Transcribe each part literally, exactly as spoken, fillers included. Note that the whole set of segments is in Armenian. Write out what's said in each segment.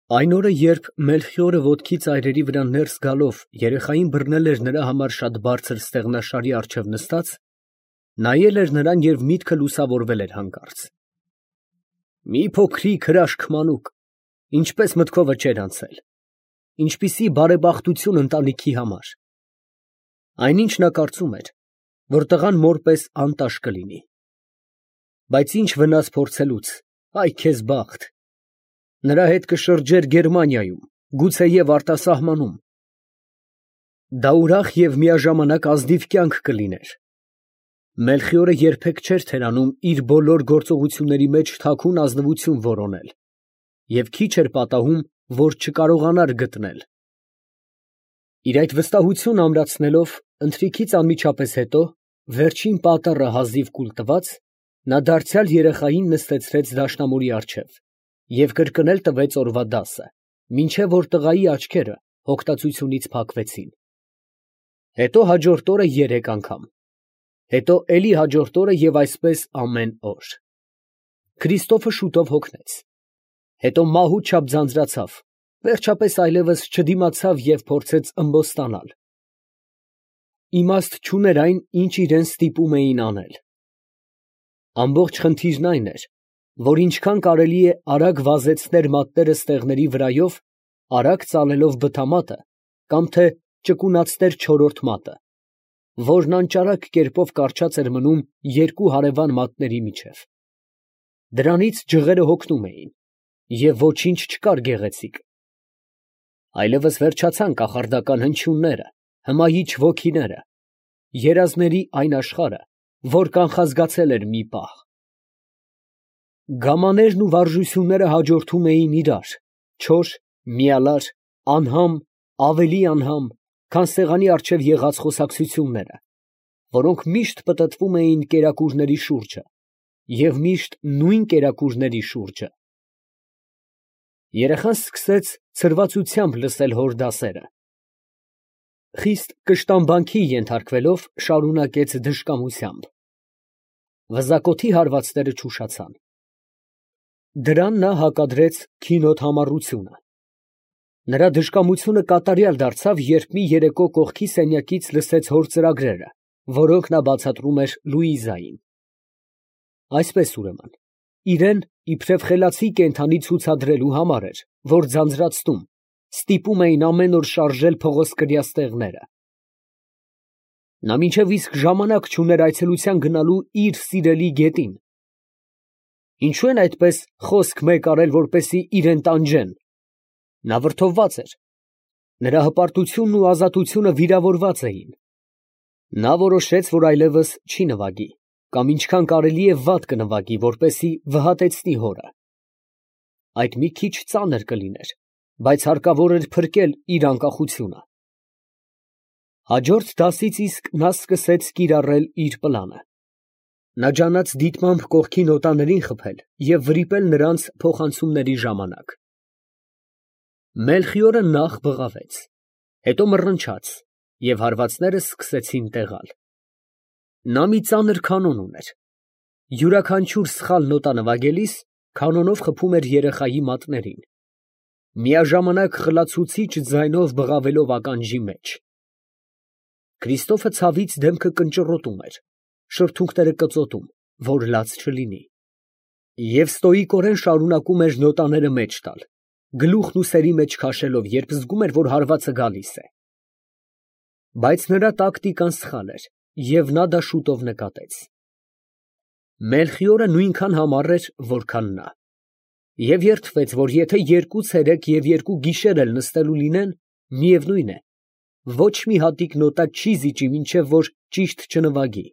Այն օրը, երբ Մելխիորը ոտքի ծայրերի վրա ներս գալով երեխային բռնել էր նրա համար շատ բարձր ստեղնաշարի առջև նստած, նայել էր նրան և միտքը լուսավորվել էր հանկարծ. մի փոքրիկ հրաշք մանուկ, ինչպես մտքովը չէր անցել, ինչպիսի բարեբախտություն ընտանիքի համար. այնինչ նա կարծում էր, որ տղան մոր պես անտաշ կլինի, բայց ինչ վնաս փորձելուց, այ քեզ բախտ, նրա հետ կշրջեր Գերմանիայում, գուցեև արտասահմանում, դա ուրախ և միաժամանակ ազնիվ կյանք կլիներ։ Մելխիորը երբեք չէր թերանում իր բոլոր գործողությունների մեջ թաքուն ազնվություն որոնել և քիչ էր պատահում, որ չկարողանար գտնել։ Իր այդ վստահությունն ամրացնելով, ընթրիքից անմիջապես հետո, վերջին պատառը հազիվ կուլ տված, նա դարձյալ երեխային նստեցրեց դաշնամուրի առջև և կրկնել տվեց օրվա դասը, մինչև որ տղայի աչքերը հոգտացությունից փակվեցին, հետո հաջորդ օրը երեք անգամ, հետո էլի հաջորդ օրը և այսպես ամեն օր։ Քրիստոֆը շուտով հոգնեց, հետո մահուց չափ ձանձրացավ, վերջապես այլևս չդիմացավ և փորձեց ըմբոստանալ։ Իմաստ չուներ այն, ինչ իրան ստիպում էին անել։ Ամբողջ խնդիրն այն էր, որ ինչքան կարելի է արագ վազեցներ մատները ստեղների վրայով, արագ ծալելով բթամատը, կամ թե ճկունացներ չորրորդ մատը, որն անճարակ կերպով կառչած էր մնում երկու հարևան մատների միջև. դրանից ջղերը հոգնում էին, և ոչինչ չկար գեղեցիկ։ Այլևս վերջացան կախարդական հնչյունները, հմայիչ ոգիները, երազների այն աշխարհը, որ կանխազգացել էր մի պահ։ Գամաներն ու վարժությունները հաջորդում էին իրար, չոր, միալար, անհամ, ավելի անհամ, քան սեղանի առջև եղած խոսակցությունները, որոնք միշտ պտտվում էին կերակուրների շուրջը և միշտ նույն կերակուրների շուրջը։ Երեխան սկսեց ցրվածությամբ լսել հոր դասերը. խիստ կշտամբանքի ենթարկվելով, շարունակեց դժկամությամբ. վզակոթի հարվածները չուշացան։ Դրան նա հակադրեց քինոթամառությունը։ Նրա դժկամությունը կատարյալ դարձավ, երբ մի երեկո կողքի սենյակից լսեց հոր ծրագրերը, որոնք նա բացատրում էր Լուիզային։ Այսպես, ուրեմն, իրան իբրև խելացի կենդանի ցուցադրելու համար էր, որ ձանձրացնում, ստիպում էին ամեն օր շարժել փղոսկրյա ստեղները։ Նա մինչև իսկ ժամանակ չուներ այցելության գնալու իր սիրելի գետին։ Ինչո՞ւ են այդպես խոսք մեկ արել, որպեսզի իրան տանջեն։ Նա վրդովված էր, նրա հպարտությունն ու ազատությունը վիրավորված էին։ Նա որոշեց, որ այլևս չի նվագի, կամ ինչքան կարելի է վատ կնվագի, որպեսզի վհատեցնի հորը։ Այդ մի քիչ ծանր կլիներ, բայց հարկավոր էր փրկել իր անկախությունը։ Հաջորդ դասից իսկ նա սկսեց կիրառել իր պլանը։ Նա ջանաց դիտմամբ կողքի նոտաներին խփել և վրիպել նրանց փոխանցումների ժամանակ։ Մելխիորը նախ բղավեց, հետո մռնչաց, և հարվածները սկսեցին տեղալ։ Նա մի ծանր կանոն ուներ. յուրաքանչյուր սխալ նոտա նվագելիս կանոնով խփում էր երեխայի մատներին, միաժամանակ խլացուցիչ ձայնով բղավելով ականջի մեջ։ Քրիստոֆը ցավից դեմքը կնճռոտում էր, շրթունքները կծոտում, որ լաց չլինի, և ստոիկորեն շարունակում էր նոտաները մեջ տալ, գլուխն ուսերի մեջ քաշելով, երբ զգում էր, որ հարվածը գալիս է։ Բայց նրա տակտիկան սխալ էր, և նա դա շուտով նկատեց։ Մելխիորը նույնքան համառ էր, որքան նա, և երդվեց, որ եթե երկու ցերեկ և երկու գիշեր էլ նստելու լինեն, միևնույն է, ոչ մի հատիկ նոտա չի զիջի, մինչև որ ճիշտ չնվագի։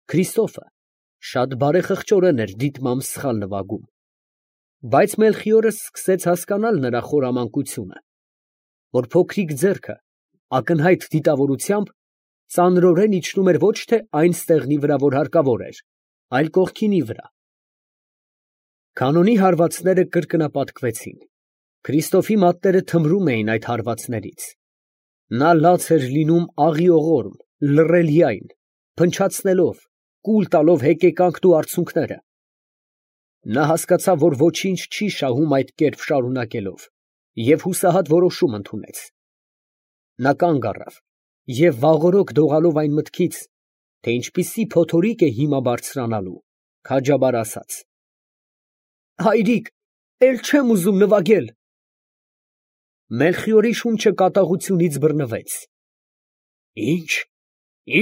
Քրիստոֆը շատ բարեխղճորեն էր դիտմամբ սխալ նվագում, բայց Մելխիորը սկսեց հասկանալ նրա խորամանկությունը, որ փոքրիկ ձեռքը ակնհայտ դիտավորությամբ ծանրորեն իջնում էր ոչ թե այն ստեղնի վրա, որ հարկավոր էր, այլ կողքինի վրա։ Կանոնի հարվածները կրկնապատկվեցին, Քրիստոֆի մատները թմրում էին այդ հարվածներից, նա լաց էր լինում աղիողորմ, լռելյայն, փնչացնելով, կուլ տալով հեկեկանքն ու արցունքները։ Նա հասկացավ, որ ոչինչ չի շահում այդ կերպ շարունակելով, և հուսահատ որոշում ընդունեց. նա կանգ առավ և վաղօրոք դողալով այն մտքից, թե ինչպիսի փոթորիկ է հիմա բարձրանալու, քաջաբար ասաց. «Հայրիկ, էլ չեմ ուզում նվագել»։ Մելխիորի շունչը կատաղությունից բռնվեց։ «Ի՞նչ,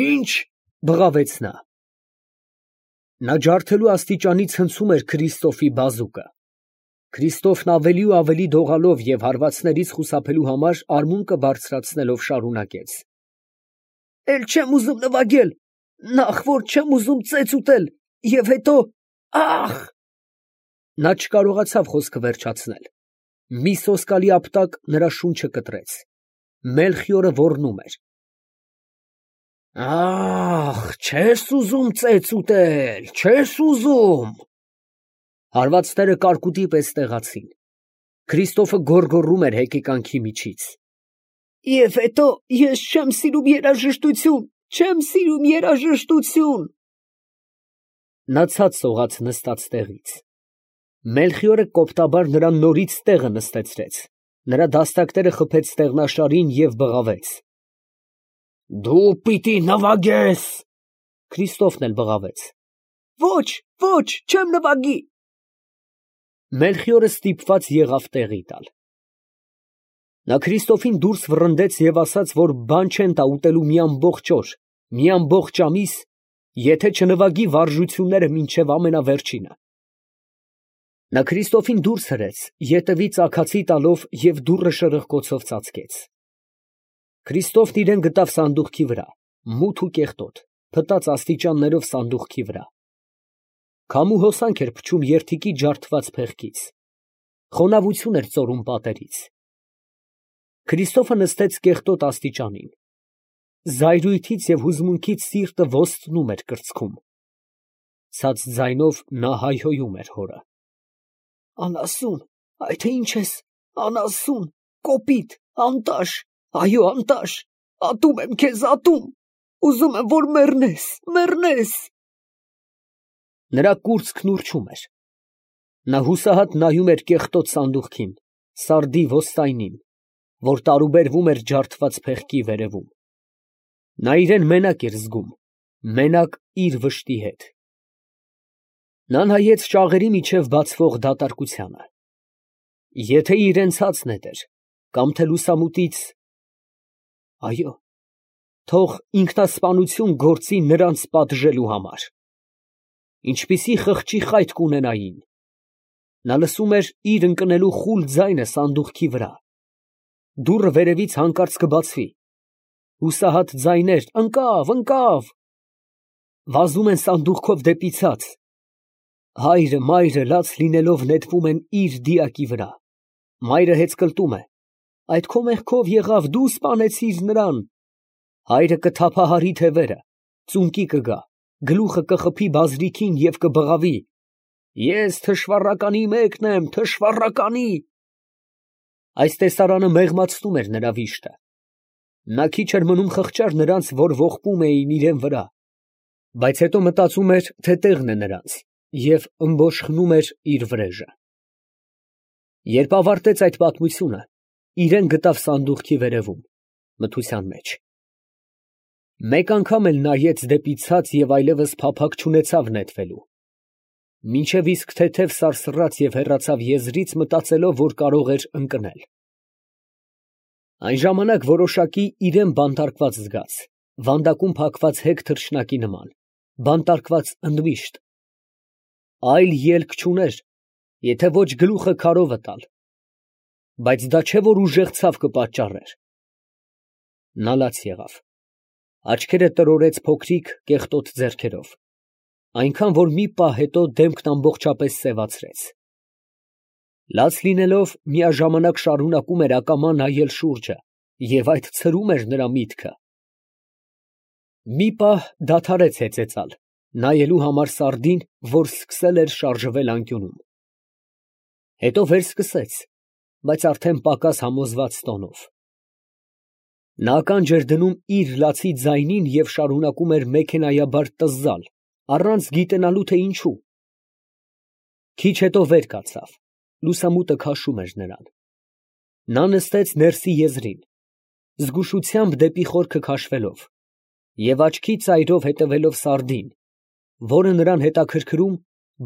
ի՞նչ» բղավեց նա։ Նա ջարդելու աստիճանից հնցում էր Քրիստոֆի բազուկը։ Քրիստոֆն ավելի ու ավելի դողալով և հարվածներից խուսափելու համար արմունկը բարձրացնելով շարունակեց. «Էլ չեմ ուզում նվագել, նախ որ չեմ ուզում ծեծ ուտել, և հետո… ա՜խ»։ Նա չկարողացավ խոսքը վերջացնել. մի սոսկալի ապտակ նրա շունչը կտրեց։ Մելխիորը ոռնում էր. «Ա՜խ, չե՞ս ուզում ծեծ ուտել, չե՞ս ուզում»։ Հարվածները կարկուտի պես տեղացին։ Քրիստոֆը գոռգոռում էր հեկեկանքի միջից. «Եվ հետո ես չեմ սիրում երաժշտություն, չեմ սիրում երաժշտություն»։ Նա ցած սողաց նստած տեղից։ Մելխիորը կոպտաբար նրան նորից տեղը նստեցրեց, նրա դաստակները խփեց ստեղնաշարին և բղավեց. «Դու պիտի նվագես»։ Քրիստոֆն էլ բղավեց. «Ոչ, ոչ, չեմ նվագի»։ Մելխիորը ստիպված եղավ տեղի տալ։ Նա Քրիստոֆին դուրս վռնդեց և ասաց, որ բան չեն տա ուտելու մի ամբողջ օր, մի ամբողջ ամիս, եթե չնվագի վարժությունները մինչև ամենավերջինը։ Նա Քրիստոֆին դուրս հրեց, ետևից աքացի տալով և դուռը շրխկոցով ծածկեց։ Քրիստոֆն իրան գտավ սանդուղքի վրա, մութ ու կեղտոտ, փտած աստիճաններով սանդուղքի վրա։ Քամու հոսանք էր փչում երդիկի ջարդված փեղկից։ Խոնավություն էր ծորում պատերից։ Քրիստոֆը նստեց կեղտոտ աստիճանին։ Զայրույթից և հուզմունքից սիրտը ոստնում էր կրծքում։ Ցած ձայնով նա հայհոյում էր հորը. «Անասուն, այ թե ինչ ես, անասուն, կոպիտ, անտաշ, այո, անտաշ, ատում եմ քեզ, ատում, ուզում եմ, որ մեռնես, մեռնես»։ Նրա կուրծքն ուռչում էր։ Նա հուսահատ նայում էր կեղտոտ սանդուղքին, սարդի ոստայնին, որ տարուբերվում էր ջարդված փեղկի վերևում։ Նա իրան մենակ էր զգում, մենակ իր վշտի հետ։ Նա նայեց ճաղերի միջև բացվող դատարկությանը։ Եթե իրան ցած նետեր, կամ թե լուսամուտից… այո, թող ինքնասպանություն գործի նրանց պատժելու համար… ինչպիսի խղճի խայտ կունենային… Նա լսում էր իր ընկնելու խուլ ձայնը սանդուղքի վրա։ Դուռը վերևից հանկարծ կբացվի։ Հուսահատ ձայներ. «Ընկավ, ընկավ»… Վազում են սանդուղքով դեպի ցած։ Հայրը, մայրը լաց լինելով նետվում են իր դիակի վրա։ Մայրը հեծկլտում է. «Այդ քո մեղքով եղավ, դու սպանեցիր նրան»։ Հայրը կթափահարի թևերը, ծունկի կգա, գլուխը կխփի բազրիքին և կբղավի. «Ես թշվառականի մեկն եմ, թշվառականի»։ Այս տեսարանը մեղմացնում էր նրա վիշտը։ Նա քիչ էր մնում խղճար նրանց, որ ողբում էին իրան վրա, բայց հետո մտածում էր, թե տեղն է նրանց, և ըմբոշխնում էր իր վրեժը։ Երբ ավարտեց այդ պատմությունը, իրան գտավ սանդուղքի վերևում, մթության մեջ։ Մեկ անգամ էլ նայեց դեպի ցած և այլևս փափագ չունեցավ նետվելու։ Մինչև իսկ թեթև սարսռաց և հեռացավ եզրից, մտածելով, որ կարող էր ընկնել։ Այն ժամանակ որոշակի իրան բանտարկված զգաց, վանդակում փակված հեգ թռչնակի նման, բանտարկված ընդմիշտ։ Այլ ելք չուներ, եթե ոչ գլուխը քարովը տալ, բայց դա չէ, որ ուժեղ ցավ կպատճառեր։ Նա լաց եղավ, աչքերը տրորեց փոքրիկ կեղտոտ ձեռքերով, այնքան, որ մի պահ հետո դեմքն ամբողջապես սևացրեց։ Լաց լինելով, միաժամանակ շարունակում էր ակամա նայել շուրջը, և այդ ցրում էր նրա միտքը։ Մի պահ դադարեց հեծեծալ, նայելու համար սարդին, որ սկսել էր շարժվել անկյունում։ Հետո վերսկսեց, բայց արդեն պակաս համոզված տոնով։ Նա ականջ էր դնում իր լացի ձայնին և շարունակում էր մեքենայաբար տզզալ, առանց գիտենալու, թե ինչու։ Քիչ հետո վեր կացավ, լուսամուտը քաշում էր նրան։ Նա նստեց ներսի եզրին, զգուշությամբ դեպի խորքը քաշվելով և աչքի ծայրով հետևելով սարդին, որը նրան հետաքրքրում,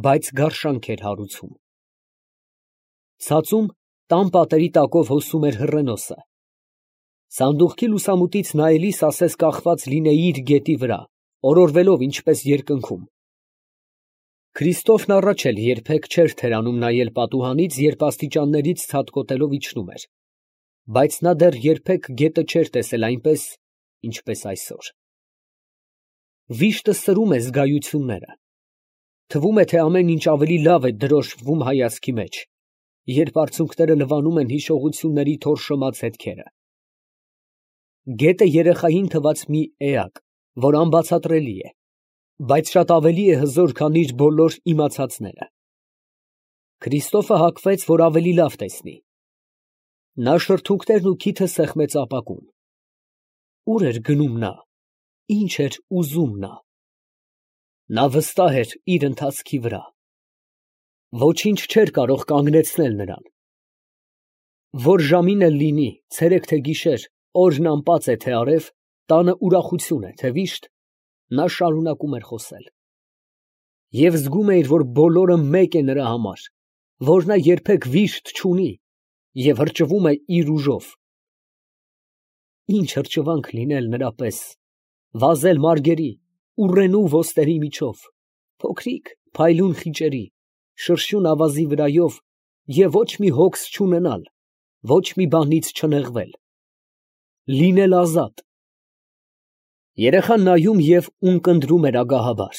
բայց գարշանք էր հարուցում։ Ցածում տան պատերի տակով հոսում էր հռենոսը։ Սանդուղքի լուսամուտից նայելիս ասես կախված լինեի իր գետի վրա, օրորվելով ինչպես երկնքում։ Քրիստոֆն առաջ էլ երբեք չէր թերանում նայել պատուհանից, երբ աստիճաններից ցատկոտելով իջնում էր, բայց նա դեռ երբեք գետը չէր տեսել այնպես, ինչպես այսօր։ Վիշտը սրում է զգայությունները։ Թվում է, թե ամեն ինչ ավելի լավ է դրոշմվում հայացքի մեջ, երբ արցունքները լվանում են հիշողությունների թորշոմած հետքերը։ Գետը երեխային թված մի էակ, որ անբացատրելի է, բայց շատ ավելի է հզոր, քան իր բոլոր իմացածները։ Քրիստոֆը հագվեց, որ ավելի լավ տեսնի։ Նա շրթունքներն ու քիթը սեղմեց ապակուն։ Ուր էր գնում նա, ինչ էր ուզում նա։ Նա վստահ էր իր ընթացքի վրա։ Ոչինչ չէր կարող կանգնեցնել նրան։ Որ ժամին էլ լինի, ցերեկ թե գիշեր, օրն անպած է թե արև, տանը ուրախություն է թե վիշտ, նա շարունակում էր խոսել։ Եվ զգում էր, որ բոլորը մեկ է նրա համար, որ նա երբեք վիշտ չունի և հրճվում է իր ուժով։ Ինչ հրճվանք լինել նրա պես, վազել մարգերի, ուռենու ոսტերի միջով, փոքրիկ փայլուն խիճերի, շրշյուն ավազի վրայով և ոչ մի հոգս չունենալ, ոչ մի բանից չնեղվել, լինել ազատ։ Երեխան նայում և ունկնդրում էր ագահաբար,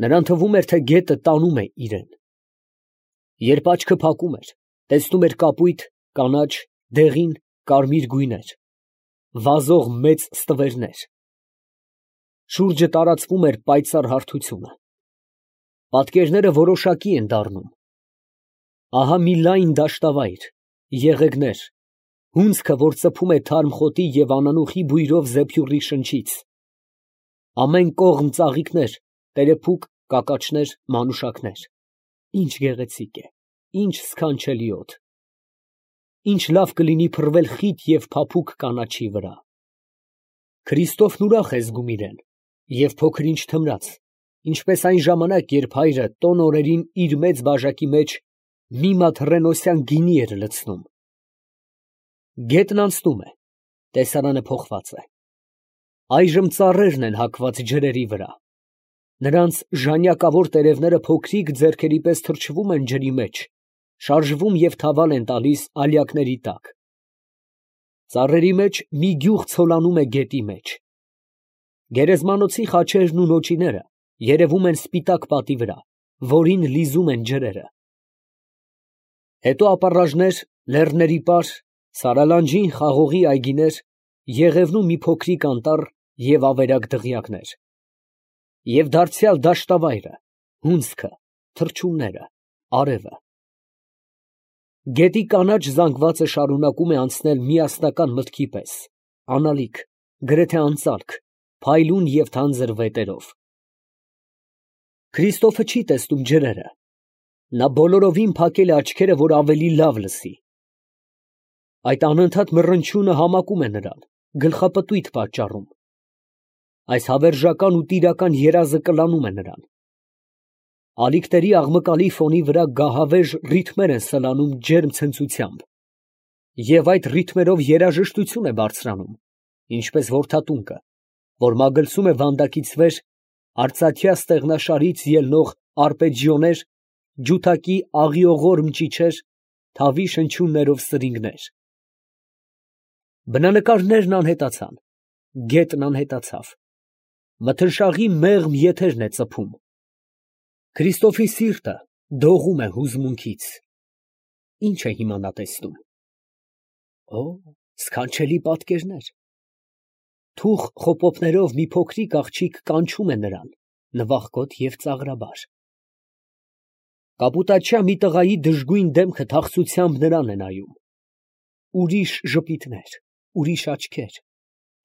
նրան թվում էր, թե գետը տանում է իրան։ Երբ աչքը փակում էր, տեսնում էր կապույտ, կանաչ, դեղին, կարմիր գույներ, վազող մեծ ստվերներ։ Շուրջը տարածվում էր պայծառ հարթությունը։ Պատկերները որոշակի են դառնում։ Ահա մի լայն դաշտավայր, եղեգներ, հունձքը, որ ծփում է թարմ խոտի և անանուխի բույրով զեփյուռի շնչից, ամեն կողմ ծաղիկներ, տերեփուկ, կակաչներ, մանուշակներ։ Ինչ գեղեցիկ է, ինչ սքանչելի օդ։ Ինչ լավ կլինի փռվել խիտ և փափուկ կանաչի վրա։ Քրիստոֆն ուրախ է զգում իրան և փոքր֊ինչ թմրած, ինչպես այն ժամանակ, երբ հայրը տոն օրերին իր մեծ բաժակի մեջ մի մատ հռենոսյան գինի էր լցնում։ Գետն անցնում է, տեսարանը փոխված է։ Այժմ ծառերն են հագված ջրերի վրա։ Նրանց ժանյակավոր տերևները փոքրիկ ձեռքերի պես թռչվում են ջրի մեջ, շարժվում և թավալ են տալիս ալյակների տակ։ Ծառերի մեջ մի գյուղ ցոլանում է գետի մեջ։ Գերեզմանոցի խաչերն ու նոճիները երևում են սպիտակ պատի վրա, որին լիզում են ջրերը։ Հետո ապառաժներ, լեռների պար, սարալանջին խաղողի այգիներ, Եղևնու մի փոքրիկ անտառ և ավերակ դղյակներ։ Եվ դարձյալ դաշտավայրը, հունձքը, թռչունները, արևը։ Գետի կանաչ զանգվածը շարունակում է անցնել միասնական մտքի պես, անալիք, գրեթե անծալք, փայլուն և թանձր վետերով։ Քրիստոֆը չի տեսնում ջրերը։ Նա բոլորովին փակել է աչքերը, որ ավելի լավ լսի։ Այդ անընդհատ մռնչյունը համակում է նրան, գլխապտույտ պատճառում։ Այս հավերժական ու տիրական երազը կլանում է նրան։ Ալիքների աղմկալի ֆոնի վրա գահավեժ ռիթմեր են սլանում ջերմ ցնծությամբ, և այդ ռիթմերով երաժշտություն է բարձրանում, ինչպես որդատունկը, որ մագլցում է վանդակից վեր արծաթյա ստեղնաշարից ելնող արպեջիոներ, ջութակի աղիողոր մճիչեր, թավի շնչյուններով սրինգներ։ Բնանկարներն անհետացան, գետն անհետացավ, մթնշաղի մեղմ եթերն է ծփում։ Քրիստոֆի սիրտը դողում է հուզմունքից։ Ի՞նչ է հիմա նա տեսնում։ Օ, սքանչելի պատկերներ։ Թուխ խոպոպներով մի փոքրիկ աղջիկ կանչում է նրան, նվախկոտ և ծաղրաբար։ Կապուտաչյա մի տղայի դժգույն դեմքը թախծությամբ նրան է նայում։ Ուրիշ ժպիտներ, ուրիշ աչքեր,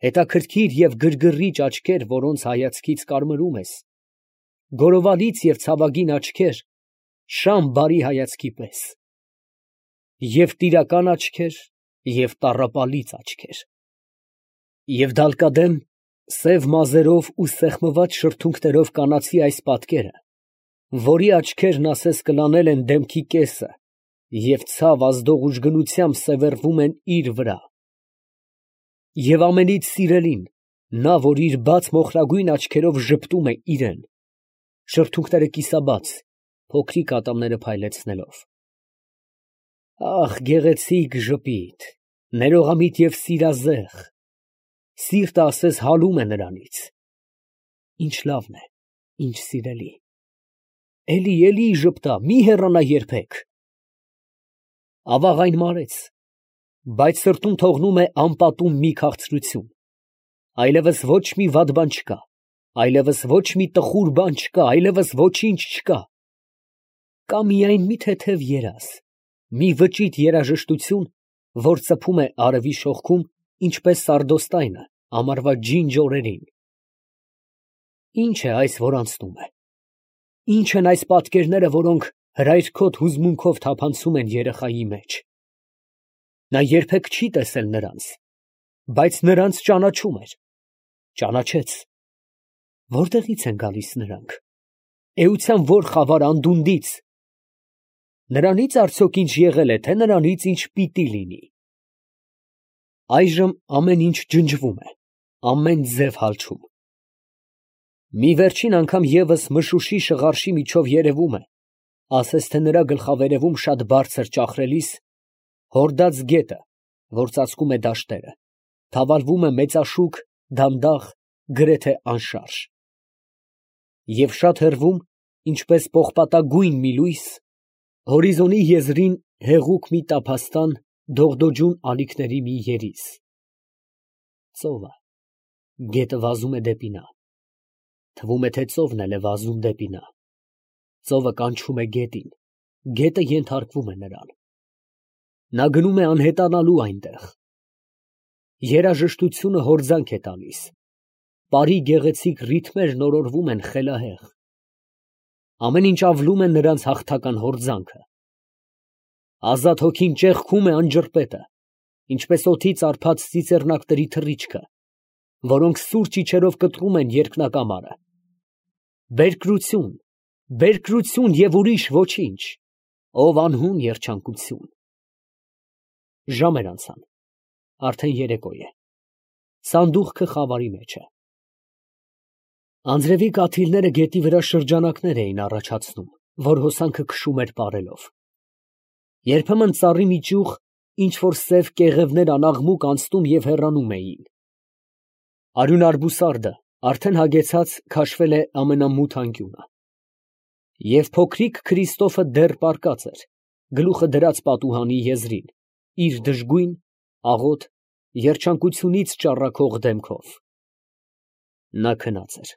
հետաքրքիր և գրգռիչ աչքեր, որոնց հայացքից կարմրում ես, գորովալից և ցավագին աչքեր, շամ բարի հայացքի պես, և տիրական աչքեր, և տառապալից աչքեր, և դալկադեմ սև մազերով ու սեղմված շրթունքներով կանացի այս պատկերը, որի աչքերն ասես կլանել են դեմքի կեսը և ցավ ազդող ուժգնությամբ սևեռվում են իր վրա, և ամենից սիրելին, նա, որ իր բաց մոխրագույն աչքերով ժպտում է իրան, շրթունքները կիսաբաց, փոքրիկ ատամները փայլեցնելով… Ահ, գեղեցիկ ժպիտ, ներողամիտ և սիրազեղ… սիրտը ասես հալում է նրանից… Ինչ լավն է, ինչ սիրելի… էլի, էլի ժպտա, մի հեռանա երբեք… Ավաղ այն մարեց, բայց սրտում թողնում է անպատում մի քաղցրություն… այլևս ոչ մի վատ բան չկա, այլևս ոչ մի տխուր բան չկա, այլևս ոչինչ չկա… Կա միայն մի թեթև երազ, մի վճիտ երաժշտություն, որ ծփում է արևի շողքում, ինչպես սարդոստայնը ամառվա ջինջ օրերին… Ի՞նչ է այս, որ անցնում է… ի՞նչ են այս պատկերները, որոնք հրայրքոտ հուզմունքով թափանցում են երեխայի մեջ… Նա երբեք չի տեսել նրանց, բայց նրանց ճանաչում էր… ճանաչեց… Որտեղի՞ց են գալիս նրանք… էության ո՞ր խավար անդունդից… նրանի՞ց արդյոք ինչ եղել է, թե նրանից ինչ պիտի լինի… Այժմ ամեն ինչ ջնջվում է, ամեն ձև հալչում… Մի վերջին անգամ ևս մշուշի շղարշի միջով երևում է, ասես թե նրա գլխավերևում շատ բարձր ճախրելիս, հորդած գետը, որ ծածկում է դաշտերը, թավալվում է մեծաշուք, դանդաղ, գրեթե անշարժ… Եվ շատ հեռվում, ինչպես պողպատագույն մի լույս, հորիզոնի եզրին հեղուկ մի տափաստան, դողդոջուն ալիքների մի երիզ… Ծովը… գետը վազում է դեպի նա… թվում է, թե ծովն էլ է վազում դեպի նա… ծովը կանչում է գետին, գետը ենթարկվում է նրան… Նա գնում է անհետանալու այնտեղ… երաժշտությունը հորձանք է տալիս… պարի գեղեցիկ ռիթմերն օրորվում են խելահեղ… ամեն ինչ ավլում է նրանց հաղթական հորձանքը… ազատ հոգին ճեղքում է անջրպետը, ինչպես օդից արբած ծիծեռնակների թռիչքը, որոնք սուրճ իջերով կտրում են երկնակամարը… Բերկրություն… բերկրություն և ուրիշ ոչինչ… ով անհուն երջանկություն… Ժամեր անցան… արդեն երեկո է… սանդուղքը խավարի մեջ է… Անձրևի կաթիլները գետի վրա շրջանակներ էին առաջացնում, որ հոսանքը քշում էր պարելով… Երբեմն ծառի մի ճյուղ, ինչ֊որ սև կեղևներ անաղմուկ անցնում և հեռանում էին… Արյունարբուսարդը արդեն հագեցած քաշվել է ամենամութ անկյունը… և փոքրիկ Քրիստոֆը դեռ պառկած էր, գլուխը դրած պատուհանի եզրին, իր դժգույն, աղոտ, երջանկությունից ճառագող դեմքով… Նա քնած էր…